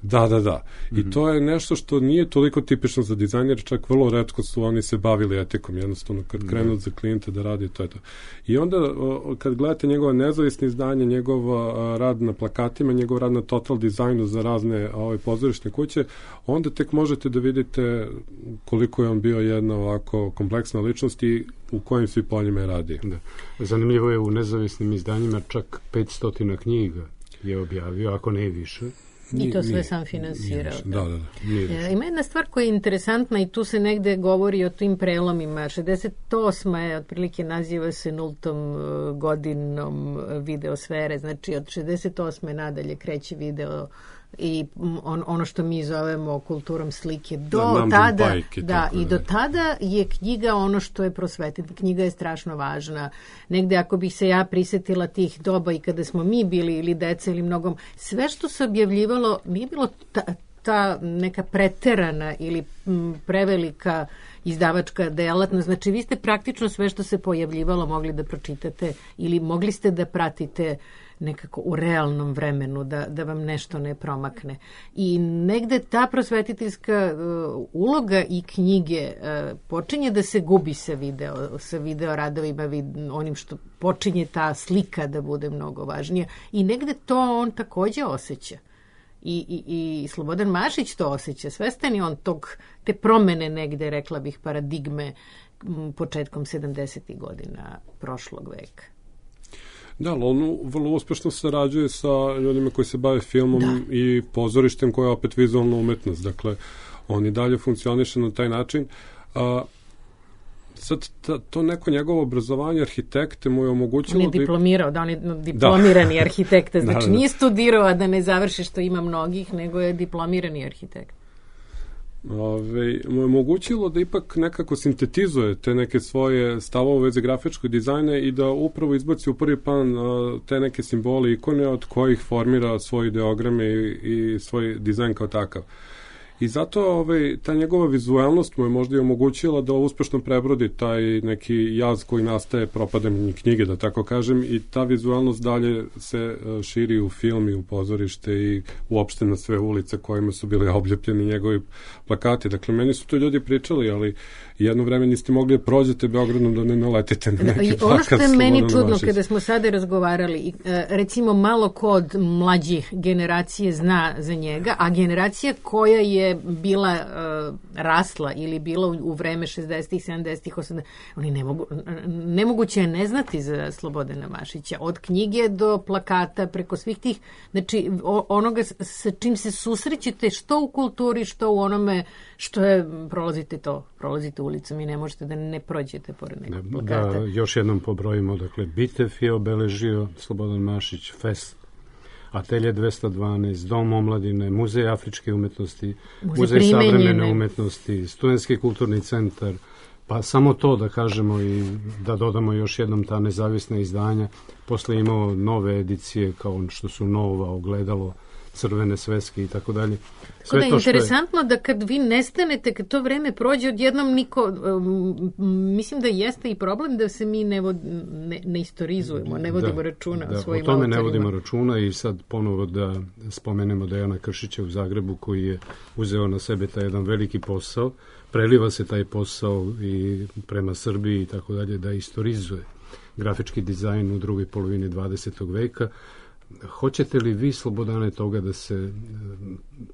Da, da, da. Mm-hmm. I to je nešto što nije toliko tipično za dizajner, čak vrlo retko su oni se bavili etikom, jednostavno kad krenu mm-hmm. za klijente da radi, to je to. I onda uh, kad gledate njegova nezavisne izdanje, njegov uh, rad na plakatima, njegov rad na total dizajnu za razne ove pozorišne kuće, onda tek možete da vidite koliko je on bio jedna ovako kompleksna ličnost i u kojim svi poljima je radi. Da. Zanimljivo je, u nezavisnim izdanjima čak petsto knjiga je objavio, ako ne i više. I to sve nije, sam finansirao. Da, da, da. E, ima jedna stvar koja je interesantna i tu se negde govori o tim prelomima. šezdeset osma je, otprilike naziva se nultom godinom videosfere, znači od šezdeset osme nadalje kreće video i on, ono što mi zovemo kulturom slike. Do da, tada, bajke, da, i do tada je knjiga ono što je prosvetitelj. Knjiga je strašno važna. Negde ako bih se ja prisetila tih doba i kada smo mi bili ili deca ili mnogom, sve što se objavljivalo nije bilo ta, ta neka preterana ili m, prevelika izdavačka delatnost. Znači vi ste praktično sve što se pojavljivalo mogli da pročitate ili mogli ste da pratite nekako u realnom vremenu, da, da vam nešto ne promakne. I negde ta prosvetiteljska uh, uloga i knjige uh, počinje da se gubi sa video, sa video radovima, vid, onim što počinje ta slika da bude mnogo važnija. I negde to on takođe osjeća. I, i, i Slobodan Mašić to osjeća. Svestan je on tog, te promene negde, rekla bih, paradigme m, početkom sedamdesetih godina prošlog veka. Da, ali on vrlo uspešno sarađuje sa ljudima koji se bave filmom da. i pozorištem koja je opet vizualna umetnost. Dakle, on i dalje funkcioniše na taj način. A, sad, ta, to neko njegovo obrazovanje arhitekte mu je omogućilo... On je diplomirao, da on je diplomirani da. arhitekta, znači da, da. nije studirao, a da ne završi što ima mnogih, nego je diplomirani arhitekt. Ove, mu je omogućilo da ipak nekako sintetizuje te neke svoje stavove u vezi grafičkog dizajna i da upravo izbaci u prvi plan a, te neke simbole, ikone od kojih formira svoje ideograme i, i svoj dizajn kao takav. I zato ovaj, ta njegova vizualnost mu je možda i omogućila da uspešno prebrodi taj neki jaz koji nastaje propadanjem knjige, da tako kažem, i ta vizualnost dalje se širi u film i u pozorište i uopšte na sve ulice kojima su bili obljepljeni njegovi plakati. Dakle, meni su to ljudi pričali, ali jedno vreme niste mogli da prođete Beogradom da ne naletite na neki da, plakat. Ono što je meni čudno Mašić. Kada smo sada razgovarali, recimo malo ko od mlađih generacije zna za njega, a generacija koja je bila uh, rasla ili bila u, u vreme šezdesetih, sedamdesetih, osamdesetih, oni ne mogu, nemoguće je ne znati za Slobodana Mašića. Od knjige do plakata, preko svih tih, znači o, onoga sa čim se susrećete što u kulturi, što u onome što je, prolazite to, prolazite ulicom i ne možete da ne prođete pored nekog plakata. Da, još jednom pobrojimo, dakle, Bitev je obeležio Slobodan Mašić, Fest, Atelje dvesta dvanaest, Dom omladine, Muzej afričke umetnosti, Muzej, Muzej savremene umetnosti, Studentski kulturni centar, pa samo to da kažemo i da dodamo još jednom ta nezavisna izdanja. Posle imao nove edicije kao što su Nova, Ogledalo, Crvene sveske i tako dalje. Sve da je interesantno je... da kad vi nestanete, kad to vreme prođe, odjednom niko, um, mislim da jeste i problem da se mi ne, vod, ne, ne istorizujemo, ne vodimo da, računa da, o svojim autorima. O tome autorima. ne vodimo računa i sad ponovo da spomenemo Dejana Kršića u Zagrebu koji je uzeo na sebe taj jedan veliki posao, preliva se taj posao i prema Srbiji i tako dalje, da istorizuje grafički dizajn u drugoj polovini dvadesetog veka. Hoćete li vi, Slobodane, toga da se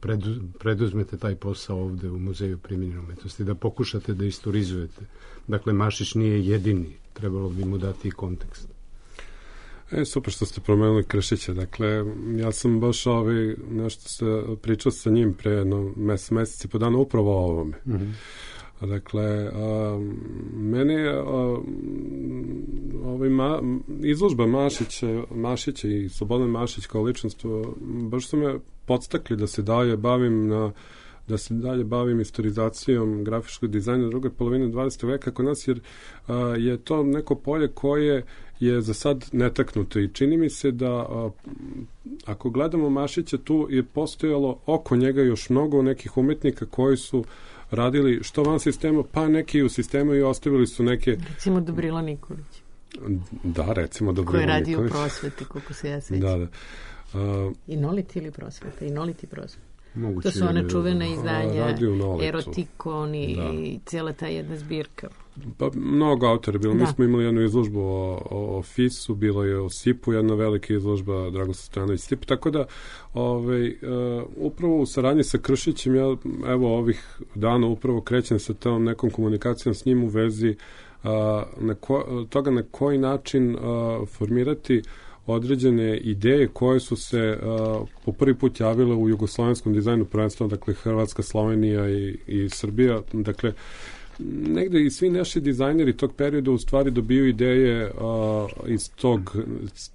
predu, preduzmete taj posao ovde u Muzeju primenjene umetnosti, da pokušate da istorizujete? Dakle, Mašić nije jedini, trebalo bi mu dati i kontekst. E, super što ste promenuli Kršića. Dakle, ja sam baš ovaj, nešto se pričao sa njim pre jedno mes, meseci po dana upravo o ovome. Mm-hmm. Dakle, a, mene a, ovaj ma, izložba Mašića, Mašića i Slobodan Mašić kao ličnost baš su me podstakli da se dalje bavim na da se dalje bavim istorizacijom grafičkog dizajna druge polovine dvadesetog veka kod nas, jer a, je to neko polje koje je za sad netaknuto i čini mi se da a, ako gledamo Mašića, tu je postojalo oko njega još mnogo nekih umetnika koji su radili što van sistema, pa neki u sistemu i ostavili su neke... Recimo Dobrila Nikolić. Da, recimo Dobrila Nikolić. Koji je radio u prosveti, koliko se ja sećam. Da, da. Uh, Inoliti ili prosveta? Inoliti prosveta. Moguće to su one čuvene izdanja, Erotikon i da. cijela ta jedna zbirka. Pa mnogo autora bilo. Da. Mi smo imali jednu izložbu o, o, o Fisu, bilo je o Sipu, jedna velika izložba Dragoslav Stojanović Sip, tako da ovaj, uh, upravo u saradnji sa Kršićem ja evo ovih dana upravo krećem sa tom nekom komunikacijom s njim u vezi uh, na ko, toga na koji način uh, formirati određene ideje koje su se uh, po prvi put javile u jugoslovenskom dizajnu prvenstveno, dakle Hrvatska, Slovenija i, i Srbija, dakle negde i svi naši dizajneri tog perioda u stvari dobiju ideje a, iz tog,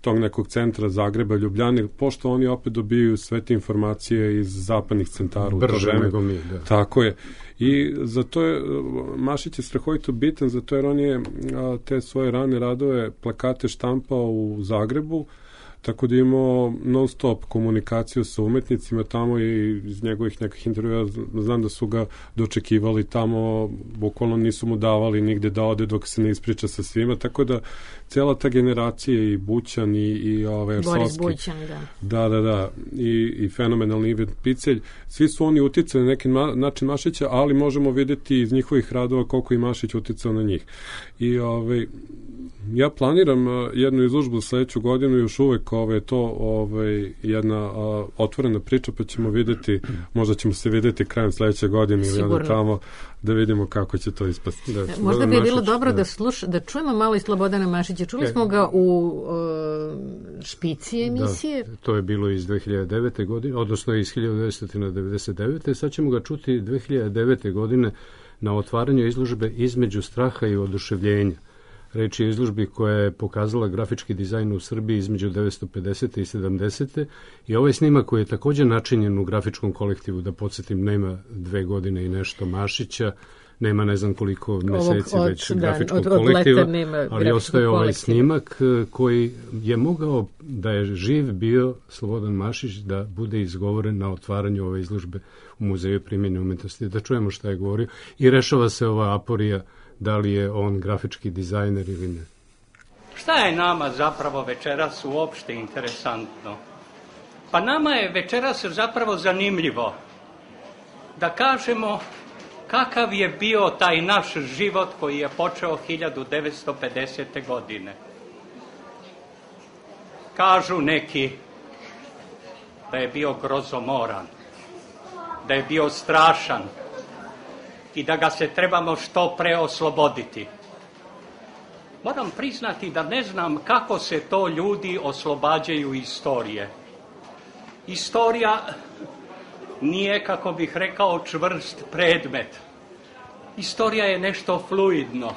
tog nekog centra Zagreba, Ljubljane, pošto oni opet dobiju sve te informacije iz zapadnih centara. Brže nego mi, da. Tako je. I zato je, Mašić je strahovito bitan, zato jer on je a, te svoje rane radove, plakate štampao u Zagrebu, tako da imamo non stop komunikaciju sa umetnicima tamo i iz njegovih nekih intervjua znam da su ga dočekivali tamo, bukvalno nisu mu davali nigde da ode dok se ne ispriča sa svima, tako da cela ta generacija i Bućan i, i ove, Boris Arsovski, Bućan, da. Da, da, da, i, i fenomenalni Ivan Picelj, svi su oni uticali na neki ma, način Mašića, ali možemo vidjeti iz njihovih radova koliko i Mašić uticao na njih. I ove, ja planiram uh, jednu izložbu sledeću godinu, još uvek ove, to ovaj, jedna uh, otvorena priča, pa ćemo videti, možda ćemo se videti krajem sledeće godine ili onda tamo da vidimo kako će to ispasti. Da, možda bi bilo dobro da, sluš, da čujemo malo i Slobodana Mašića. Čuli smo ga u uh, špici emisije. Da, to je bilo iz dve hiljade devete. godine, odnosno iz hiljadu devetsto devedeset devete. Sad ćemo ga čuti dve hiljade devete. godine na otvaranju izložbe Između straha i oduševljenja. Reč je o izložbi koja je pokazala grafički dizajn u Srbiji između devetsto pedesete i sedamdesete. I ovaj snimak koji je također načinjen u grafičkom kolektivu, da podsjetim, nema dve godine i nešto Mašića, nema ne znam koliko meseci od, već da, grafičkog od, od kolektiva, ali ostaje ovaj snimak koji je mogao, da je živ bio Slobodan Mašić, da bude izgovoren na otvaranju ove izložbe u Muzeju primjene umetnosti. Da čujemo šta je govorio i rešava se ova aporija da li je on grafički dizajner ili ne. Šta je nama zapravo večeras uopšte interesantno? Pa nama je večeras zapravo zanimljivo da kažemo kakav je bio taj naš život koji je počeo hiljadu devetsto pedesete. godine. Kažu neki da je bio grozomoran, da je bio strašan, i da ga se trebamo što pre osloboditi. Moram priznati da ne znam kako se to ljudi oslobađaju istorije. Istorija nije, kako bih rekao, čvrst predmet. Istorija je nešto fluidno.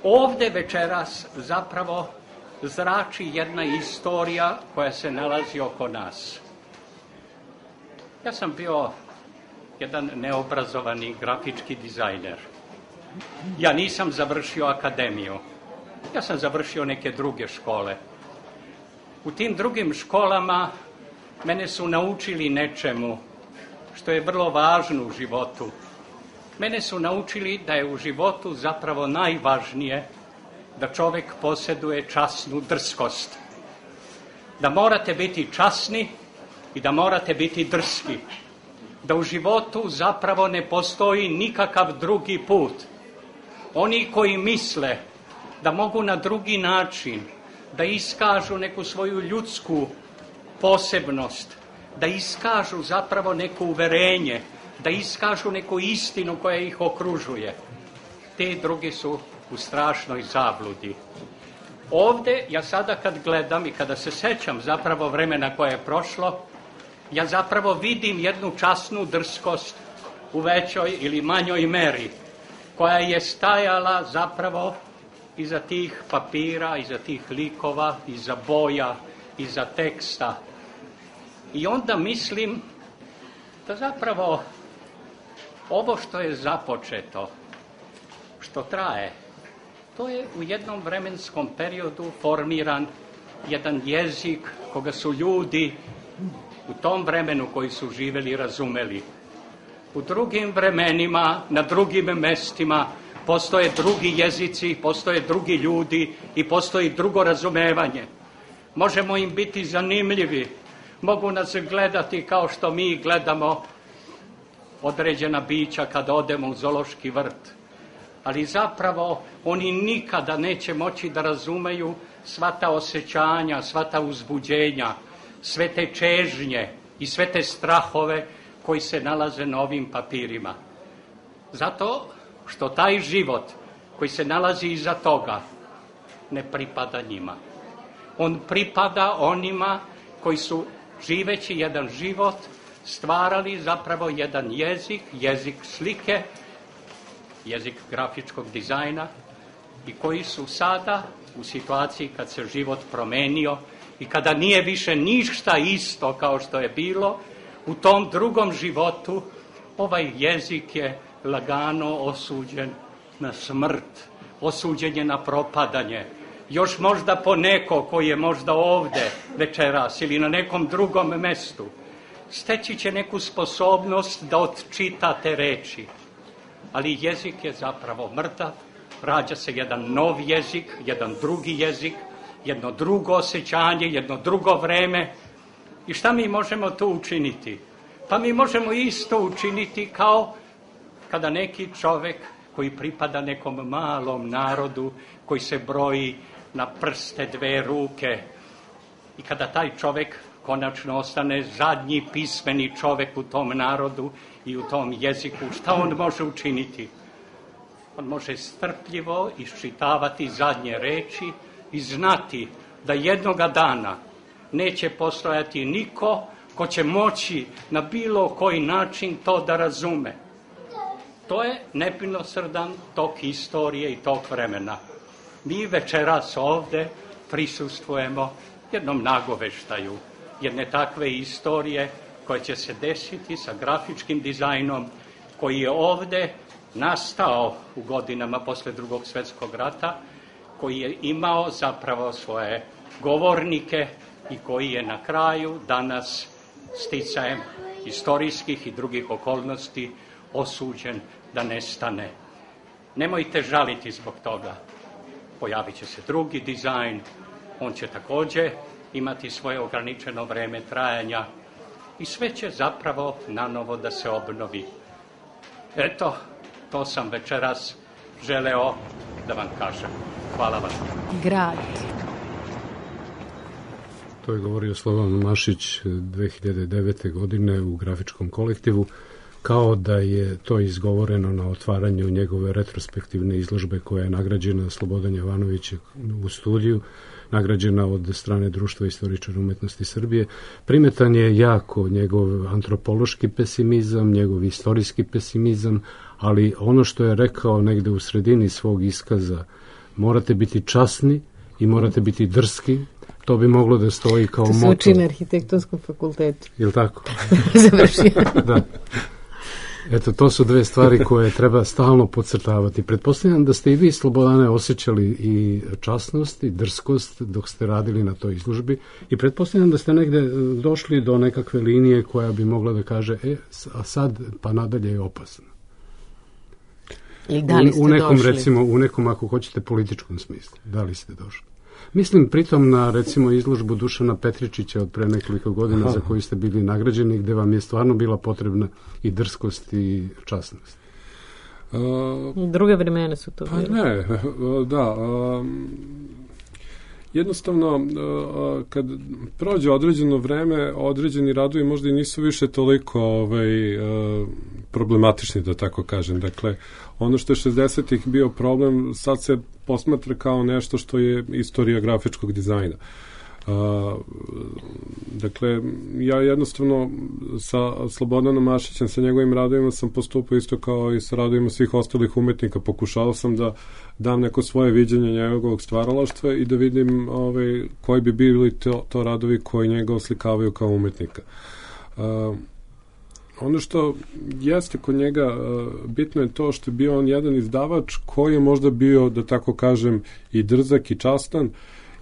Ovde večeras zapravo zrači jedna istorija koja se nalazi oko nas. Ja sam bio jedan neobrazovani grafički dizajner. Ja nisam završio akademiju. Ja sam završio neke druge škole. U tim drugim školama mene su naučili nečemu što je vrlo važno u životu. Mene su naučili da je u životu zapravo najvažnije da čovek posjeduje časnu drskost. Da morate biti časni i da morate biti drski. Da u životu zapravo ne postoji nikakav drugi put. Oni koji misle da mogu na drugi način da iskažu neku svoju ljudsku posebnost, da iskažu zapravo neko uverenje, da iskažu neku istinu koja ih okružuje, te drugi su u strašnoj zabludi. Ovde, ja sada kad gledam i kada se sećam zapravo vremena koje je prošlo, ja zapravo vidim jednu časnu drskost u većoj ili manjoj meri, koja je stajala zapravo iza tih papira, iza tih likova, iza boja, iza teksta. I onda mislim da zapravo ovo što je započeto, što traje, to je u jednom vremenskom periodu formiran jedan jezik koga su ljudi u tom vremenu koji su živeli razumeli. U drugim vremenima, na drugim mestima, postoje drugi jezici, postoje drugi ljudi i postoji drugo razumevanje. Možemo im biti zanimljivi, mogu nas gledati kao što mi gledamo određena bića kada odemo u zoološki vrt. Ali zapravo oni nikada neće moći da razumeju sva ta osjećanja, sva ta uzbuđenja, sve te čežnje i sve te strahove koji se nalaze na ovim papirima. Zato što taj život koji se nalazi iza toga ne pripada njima. On pripada onima koji su, živeći jedan život, stvarali zapravo jedan jezik, jezik slike, jezik grafičkog dizajna i koji su sada u situaciji kad se život promenio i kada nije više ništa isto kao što je bilo, u tom drugom životu ovaj jezik je lagano osuđen na smrt, osuđen je na propadanje. Još možda po neko koji je možda ovde večeras ili na nekom drugom mestu, steći će neku sposobnost da odčita te reči. Ali jezik je zapravo mrtav, rađa se jedan nov jezik, jedan drugi jezik, jedno drugo osjećanje, jedno drugo vreme. I šta mi možemo to učiniti? Pa mi možemo isto učiniti kao kada neki čovek koji pripada nekom malom narodu, koji se broji na prste dve ruke, i kada taj čovek konačno ostane zadnji pismeni čovek u tom narodu i u tom jeziku, šta on može učiniti? On može strpljivo iščitavati zadnje reči i znati da jednoga dana neće postojati niko ko će moći na bilo koji način to da razume. To je nemilosrdan tok istorije i tok vremena. Mi večeras ovde prisustvujemo jednom nagoveštaju, jedne takve istorije koja će se desiti sa grafičkim dizajnom koji je ovde nastao u godinama posle Drugog svetskog rata, koji je imao zapravo svoje govornike i koji je na kraju danas sticajem istorijskih i drugih okolnosti osuđen da nestane. Nemojte žaliti zbog toga. Pojavit će se drugi dizajn, on će takođe imati svoje ograničeno vreme trajanja i sve će zapravo nanovo da se obnovi. Eto, to sam večeras želeo da vam kažem. Hvala vam. Grad. To je govorio Slobodan Mašić dve hiljade devete. godine u grafičkom kolektivu, kao da je to izgovoreno na otvaranju njegove retrospektivne izložbe koja je nagrađena Slobodan Jovanović u studiju, nagrađena od strane Društva istoričara umetnosti Srbije. Primetan je jako njegov antropološki pesimizam, njegov istorijski pesimizam, ali ono što je rekao negde u sredini svog iskaza, morate biti časni i morate biti drski, to bi moglo da stoji kao moto. To se uči na arhitektonskom fakultetu. Je li tako? Završio. Da. Eto, to su dve stvari koje treba stalno podcrtavati. Pretpostavljam da ste i vi, Slobodane, osjećali i časnost i drskost dok ste radili na toj izložbi i pretpostavljam da ste negde došli do nekakve linije koja bi mogla da kaže, e, a sad pa nadalje je opasno. I da li ste u, u nekom, došli? Recimo, u nekom, ako hoćete, političkom smislu. Da li ste došli? Mislim pritom na, recimo, izložbu Dušana Petričića od pre nekoliko godina Aha. za koju ste bili nagrađeni, gde vam je stvarno bila potrebna i drskost i časnost. Uh, Druge vremena su to bile. Pa ne, da. Um, jednostavno, uh, kad prođe određeno vreme, određeni radovi možda i nisu više toliko ovaj, uh, problematični, da tako kažem. Dakle, ono što je šezdesetih bio problem, sad se posmatra kao nešto što je istorija grafičkog dizajna. Uh, dakle, ja jednostavno sa Slobodanom Mašićem, sa njegovim radovima sam postupao isto kao i sa radovima svih ostalih umetnika. Pokušao sam da dam neko svoje viđenje njegovog stvaralaštva i da vidim ovaj, koji bi bili to, to radovi koji njega oslikavaju kao umetnika. Uh, Ono što jeste kod njega uh, bitno je to što je bio on jedan izdavač koji je možda bio, da tako kažem, i drzak i častan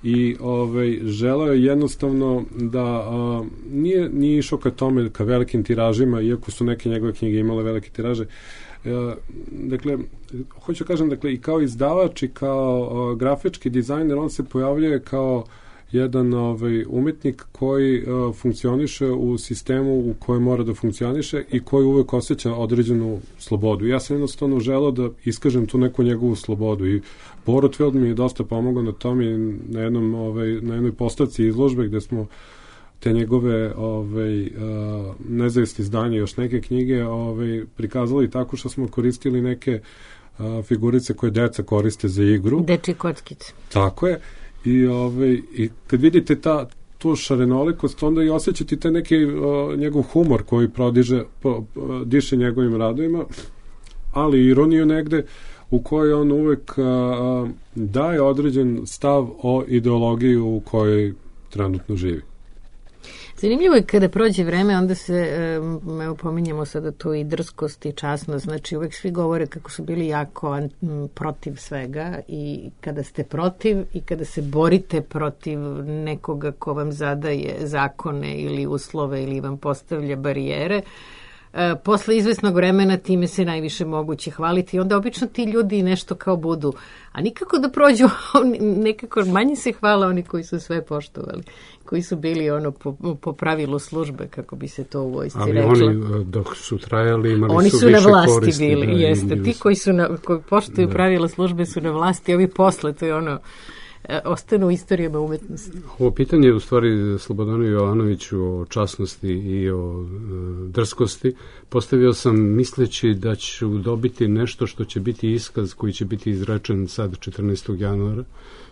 i ovaj, želeo je jednostavno da uh, nije, nije išao ka tome, ka velikim tiražima, iako su neke njegove knjige imale velike tiraže. Uh, dakle, hoću kažem, dakle, i kao izdavač i kao uh, grafički dizajner, on se pojavljuje kao jedan ovaj, umetnik koji uh, funkcioniše u sistemu u kojem mora da funkcioniše i koji uvek osjeća određenu slobodu. Ja sam jednostavno želeo da iskažem tu neku njegovu slobodu i Borotfeld mi je dosta pomogao na tom i na, jednom, ovaj, na jednoj postavci izložbe gde smo te njegove ovaj, uh, nezavisne izdanje, još neke knjige ovaj, prikazali tako što smo koristili neke uh, figurice koje deca koriste za igru. Dečje kockice. Tako je. I, ovaj, i kad vidite ta, tu šarenolikost, onda i osjećate taj neki uh, njegov humor koji prodiže, po, uh, diše njegovim radovima. ali ironiju negde, u kojoj on uvek a, daje određen stav o ideologiji u kojoj trenutno živi. Zanimljivo je kada prođe vreme, onda se, evo pominjamo sada tu i drskost i časnost, znači uvek svi govore kako su bili jako an, protiv svega i kada ste protiv i kada se borite protiv nekoga ko vam zadaje zakone ili uslove ili vam postavlja barijere, E, posle izvesnog vremena time se najviše moguće hvaliti i onda obično ti ljudi nešto kao budu, a nikako da prođu, nekako manje se hvala oni koji su sve poštovali, koji su bili ono po, po pravilu službe, kako bi se to u vojsci ali reklo. Ali oni dok su trajali imali oni su, su više na vlasti koristi, bili, da, jeste. Ti koji su na, koji poštuju da. pravila službe su na vlasti, ovi posle, to je ono, ostanu u istorijama umetnosti. Ovo pitanje je u stvari Slobodanu Jovanoviću o časnosti i o e, drskosti postavio sam misleći da ću dobiti nešto što će biti iskaz koji će biti izrečen sad četrnaestog januara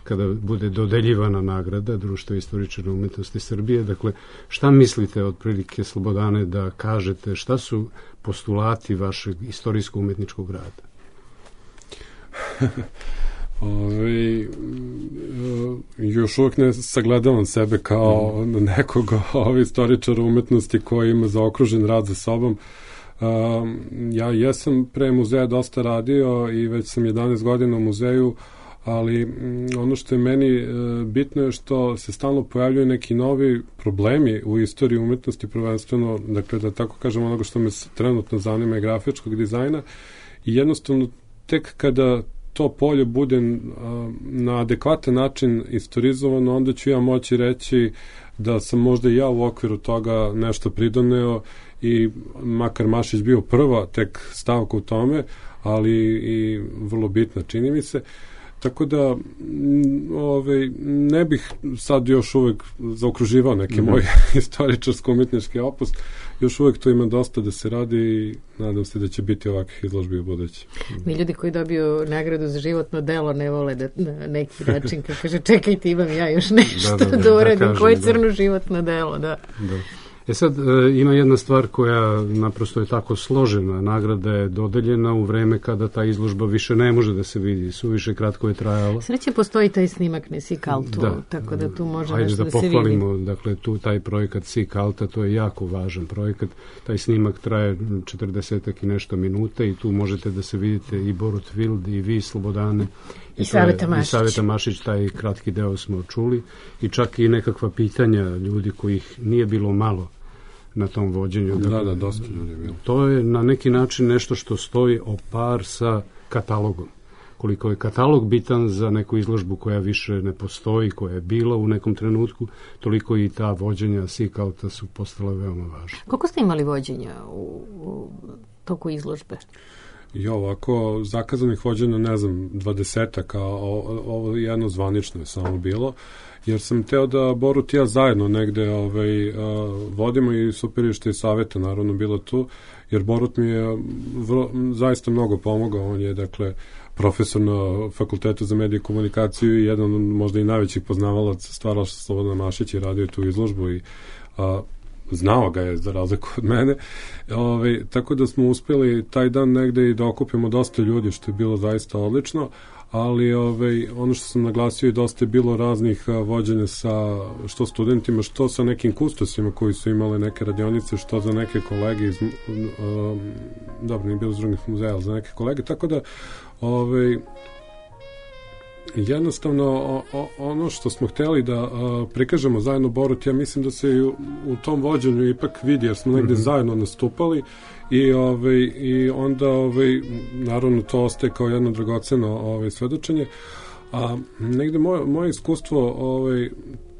kada bude dodeljivana nagrada Društva istoričara umetnosti Srbije. Dakle, šta mislite otprilike, Slobodane, da kažete šta su postulati vašeg istorijsko-umetničkog rada? Ove, još uvijek ne sagledavam sebe kao mm. nekog ove istoričara umetnosti koji ima zaokružen rad za sobom. Um, ja jesam pre muzeja dosta radio i već sam jedanaest godina u muzeju, ali um, ono što je meni uh, bitno je što se stalno pojavljuju neki novi problemi u istoriji umetnosti, prvenstveno, dakle, da tako kažem, onoga što me trenutno zanima je grafičkog dizajna i jednostavno tek kada to polje bude uh, na adekvatan način istorizovano, onda ću ja moći reći da sam možda ja u okviru toga nešto pridoneo i makar Mašić bio prva tek stavka u tome, ali i vrlo bitna, čini mi se. Tako da ove, ne bih sad još uvek zaokruživao neke mm-hmm. moje istoričarsko-umetnički opus. Još uvek to ima dosta da se radi i nadam se da će biti ovakvih izložbi u budući. Mi ljudi koji dobiju nagradu za životno delo ne vole da na neki način, kako kaže, čekajte, imam ja još nešto da, da, da, da uradim, da koje je crno da. životno delo, da. Da. E sad, e, ima jedna stvar koja naprosto je tako složena. Nagrada je dodeljena u vreme kada ta izložba više ne može da se vidi. Suviše kratko je trajala. Sreće postoji taj snimak ne Seek Altu, da, tako da tu može ajde nešto da, da se vidi. Ajde da pohvalimo, dakle, tu taj projekat Seek Alta, to je jako važan projekat. Taj snimak traje četrdesetak i nešto minuta i tu možete da se vidite i Borut Vild i vi, Slobodane. I, I Saveta Mašić. I Saveta Mašić, taj kratki deo smo čuli. I čak i nekakva pitanja ljudi kojih nije bilo malo na tom vođenju. Da, da, dosta ljudi je bilo. To je na neki način nešto što stoji o par sa katalogom. Koliko je katalog bitan za neku izložbu koja više ne postoji, koja je bila u nekom trenutku, toliko i ta vođenja Seek Alta su postala veoma važna. Koliko ste imali vođenja u, u toku izložbe? I ovako, zakazanih vođenja, ne znam, dvadesetak, a ovo jedno zvanično je samo bilo, jer sam teo da Borut i ja zajedno negde ovaj, a, vodimo i super je što je Saveta naravno bilo tu, jer Borut mi je vrlo, zaista mnogo pomogao, on je dakle profesor na Fakultetu za medije i komunikaciju i jedan od možda i najvećih poznavalaca stvaralaštva Slobodana Mašića i radio tu izložbu i a, znao ga je za razliku od mene. Ove, tako da smo uspeli taj dan negde i da okupimo dosta ljudi, što je bilo zaista odlično, ali ove, ono što sam naglasio i dosta je bilo raznih a, vođenja sa što studentima, što sa nekim kustosima koji su imali neke radionice, što za neke kolege iz a, dobro, nije bilo iz drugih muzeja, ali za neke kolege, tako da ove, jednostavno o, o, ono što smo hteli da a, prikažemo zajedno Borut, ja mislim da se i u, u tom vođenju ipak vidi, jer smo negde mm-hmm. zajedno nastupali i, ovaj, i onda ovaj, naravno to ostaje kao jedno dragoceno ovaj, svedočenje, a negde moje, moje iskustvo ovaj,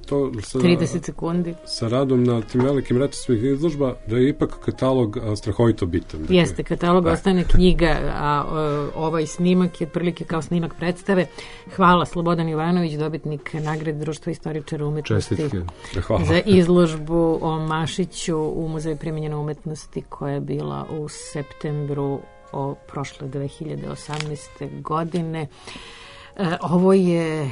to sa, trideset sekundi sa radom na tim velikim retrospektivnih izložba, da je ipak katalog a, strahovito bitan. Dakle. Jeste, katalog da. Ostane knjiga, a o, ovaj snimak je otprilike kao snimak predstave. Hvala, Slobodan Jovanović, dobitnik nagrade Društva istoričara umetnosti. Čestitke. Za izložbu o Mašiću u Muzeju primenjene umetnosti koja je bila u septembru o prošle dve hiljade osamnaeste. godine. E, ovo je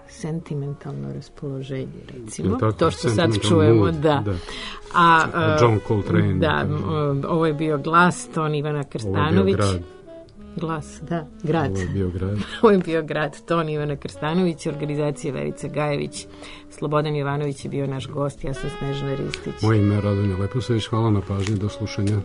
sentimentalno raspoloženje, recimo. Tako, to što sad čujemo, mood, da. da. A, John Coltrane. Da, ovo je bio Glas, ton Ivana Krstanović. Ovo je bio Grad. Glas, da, grad. Ovo je bio grad. Ovo je bio grad. Ton Ivana Krstanović, organizacija Verica Gajević, Slobodan Jovanović je bio naš gost, ja sam Snežana Ristić. Moje ime je Radonja Leposavić, hvala na pažnji, do slušanja.